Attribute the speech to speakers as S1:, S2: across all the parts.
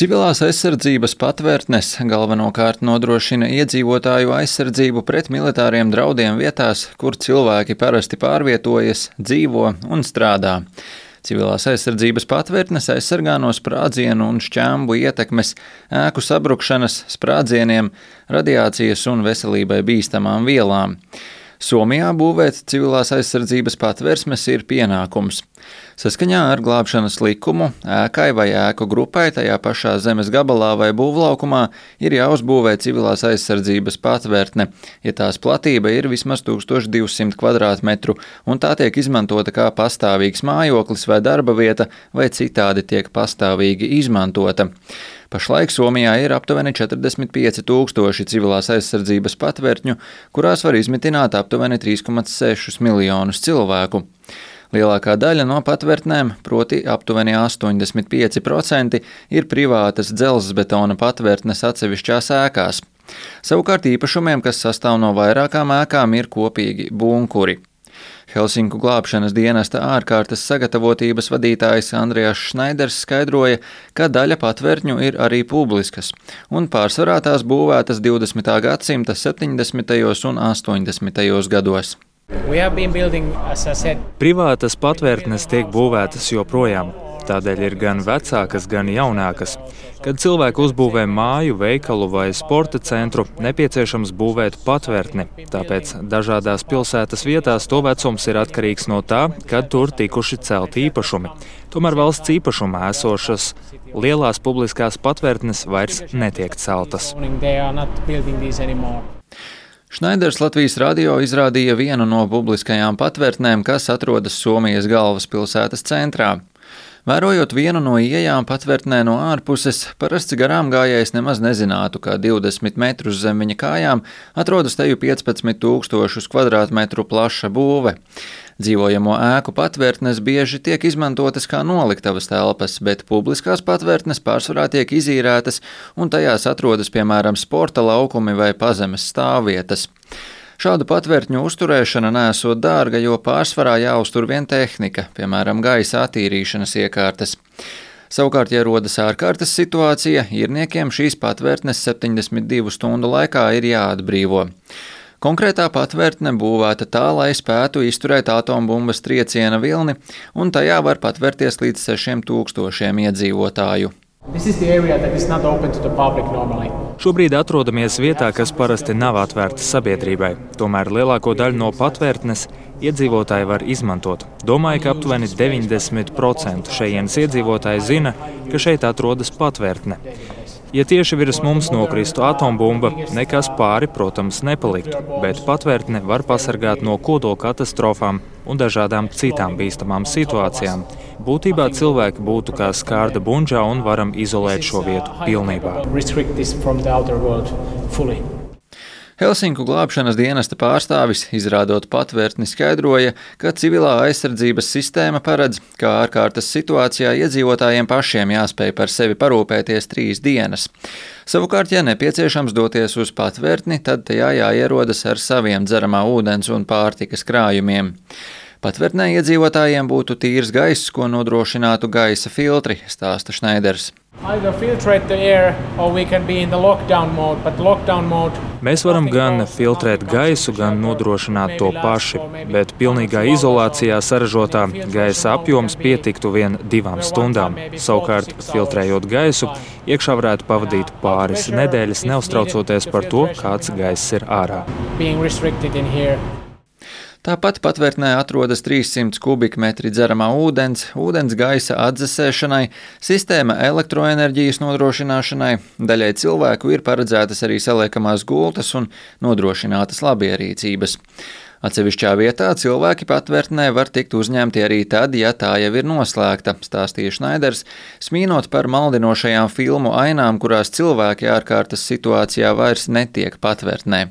S1: Civilās aizsardzības patvērtnes galvenokārt nodrošina iedzīvotāju aizsardzību pret militāriem draudiem vietās, kur cilvēki parasti pārvietojas, dzīvo un strādā. Civilās aizsardzības patvērtnes aizsargā no sprādzienu un šķēmbu ietekmes, ēku sabrukšanas, sprādzieniem, radiācijas un veselībai bīstamām vielām. Somijā būvēt civilās aizsardzības patvērsmes ir pienākums. Saskaņā ar glābšanas likumu ēkai vai ēku grupai tajā pašā zemes gabalā vai būvlaukumā ir jāuzbūvē civilās aizsardzības patvērtne, ja tās platība ir vismaz 1200 kvadrātmetru un tā tiek izmantota kā pastāvīgs mājoklis vai darba vieta vai citādi tiek pastāvīgi izmantota. Pašlaik Somijā ir aptuveni 45,000 civilās aizsardzības patvērtņu, kurās var izmitināt aptuveni 3,6 miljonus cilvēku. Lielākā daļa no patvērtnēm, proti aptuveni 85%, ir privātas dzelzbetona patvērtnes atsevišķās ēkās. Savukārt īpašumiem, kas sastāv no vairākām ēkām, ir kopīgi bunkuri. Helsinku glābšanas dienesta ārkārtas sagatavotības vadītājs Andrijas Šnaiders skaidroja, ka daļa patvērtņu ir arī publiskas, un pārsvarā tās būvētas 20. gadsimta 70. un 80. gados.
S2: Privātas patvērtnes tiek būvētas joprojām. Tādēļ ir gan vecākas, gan jaunākas. Kad cilvēki uzbūvē māju, veikalu vai sporta centru, nepieciešams būvēt patvērtni. Tāpēc dažādās pilsētas vietās to vecums ir atkarīgs no tā, kad tur tikuši celti īpašumi. Tomēr valsts īpašumā esošas lielās publiskās patvērtnes vairs netiek celtas.
S1: Šnaiders Latvijas radio izrādīja vienu no publiskajām patvērtnēm, kas atrodas Somijas galvaspilsētas centrā. Vērojot vienu no ieejām patvērtnē no ārpuses, parasts garām gājējs nemaz nezinātu, ka 20 metrus zem viņa kājām atrodas teju 15,000 kvadrātmetru plaša būve. Dzīvojamo ēku patvērtnes bieži tiek izmantotas kā noliktavas telpas, bet publiskās patvērtnes pārsvarā tiek izīrētas un tajās atrodas, piemēram, sporta laukumi vai pazemes stāvvietas. Šādu patvērtņu uzturēšana nesot dārga, jo pārsvarā jāuztur vien tehnika, piemēram, gaisa attīrīšanas iekārtas. Savukārt, ja rodas ārkārtas situācija, īrniekiem šīs patvērtnes 72 stundu laikā ir jāatbrīvo. Konkrētā patvērtne būvēta tā, lai spētu izturēt atombumbas trieciena vilni, un tajā var patvērties līdz 6,000 iedzīvotāju.
S2: Šobrīd atrodamies vietā, kas parasti nav atvērta sabiedrībai. Tomēr lielāko daļu no patvērtnes iedzīvotāji var izmantot. Domāju, ka aptuveni 90% šejienes iedzīvotāji zina, ka šeit atrodas patvērtne. Ja tieši virs mums nokristu atombumba, nekas pāri, protams, nepaliktu, bet patvērtne var pasargāt no kodola katastrofām un dažādām citām bīstamām situācijām. Būtībā cilvēki būtu kā skārda bunžā un varam izolēt šo vietu pilnībā.
S1: Helsinku glābšanas dienesta pārstāvis, izrādot patvērtni, skaidroja, ka civilā aizsardzības sistēma paredz, ka ārkārtas situācijā iedzīvotājiem pašiem jāspēj par sevi parūpēties 3 dienas. Savukārt, ja nepieciešams doties uz patvērtni, tad tajā jāierodas ar saviem dzeramā ūdens un pārtikas krājumiem. Patvērtnē iedzīvotājiem būtu tīrs gaiss, ko nodrošinātu gaisa filtri, stāsta Šnaiders.
S2: Mēs varam gan filtrēt gaisu, gan nodrošināt to paši, bet pilnīgā izolācijā saražotā gaisa apjoms pietiktu vien 2 stundām. Savukārt, filtrējot gaisu, iekšā varētu pavadīt pāris nedēļas, neuztraucoties par to, kāds gaiss ir ārā.
S1: Tāpat patvērtnē atrodas 300 kubikmetri dzeramā ūdens, ūdens gaisa atdzesēšanai, sistēma elektroenerģijas nodrošināšanai, daļai cilvēku ir paredzētas arī saliekamās gultas un nodrošinātas labierīcības. Atsevišķā vietā cilvēki patvērtnē var tikt uzņemti arī tad, ja tā jau ir noslēgta, stāstīja Šnaiders, smīnot par maldinošajām filmu ainām, kurās cilvēki ārkārtas situācijā vairs netiek patvērtnē.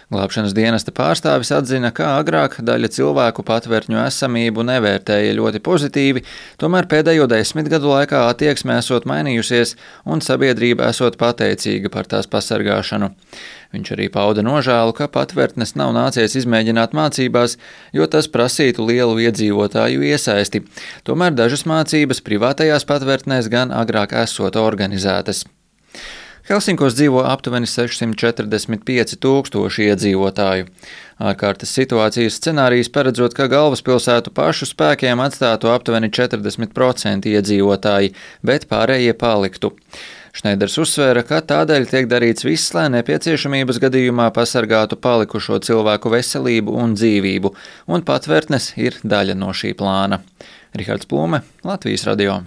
S1: Glābšanas dienesta pārstāvis atzina, ka agrāk daļa cilvēku patvērtņu esamību nevērtēja ļoti pozitīvi, tomēr pēdējo 10 gadu laikā attieksme esot mainījusies un sabiedrība esot pateicīga par tās pasargāšanu. Viņš arī pauda nožēlu, ka patvērtnes nav nācies izmēģināt mācībās, jo tas prasītu lielu iedzīvotāju iesaisti. Tomēr dažas mācības privātajās patvērtnēs gan agrāk esot organizētas. Helsinkos dzīvo aptuveni 645 000 iedzīvotāju. Ārkārtas situācijas scenārijs paredzot, ka galvaspilsētu pašu spēkiem atstātu aptuveni 40% iedzīvotāji, bet pārējie paliktu. Šneiders uzsvēra, ka tādēļ tiek darīts viss, lai nepieciešamības gadījumā pasargātu palikušo cilvēku veselību un dzīvību, un patvērtnes ir daļa no šī plāna. Rihards Plūme, Latvijas radio.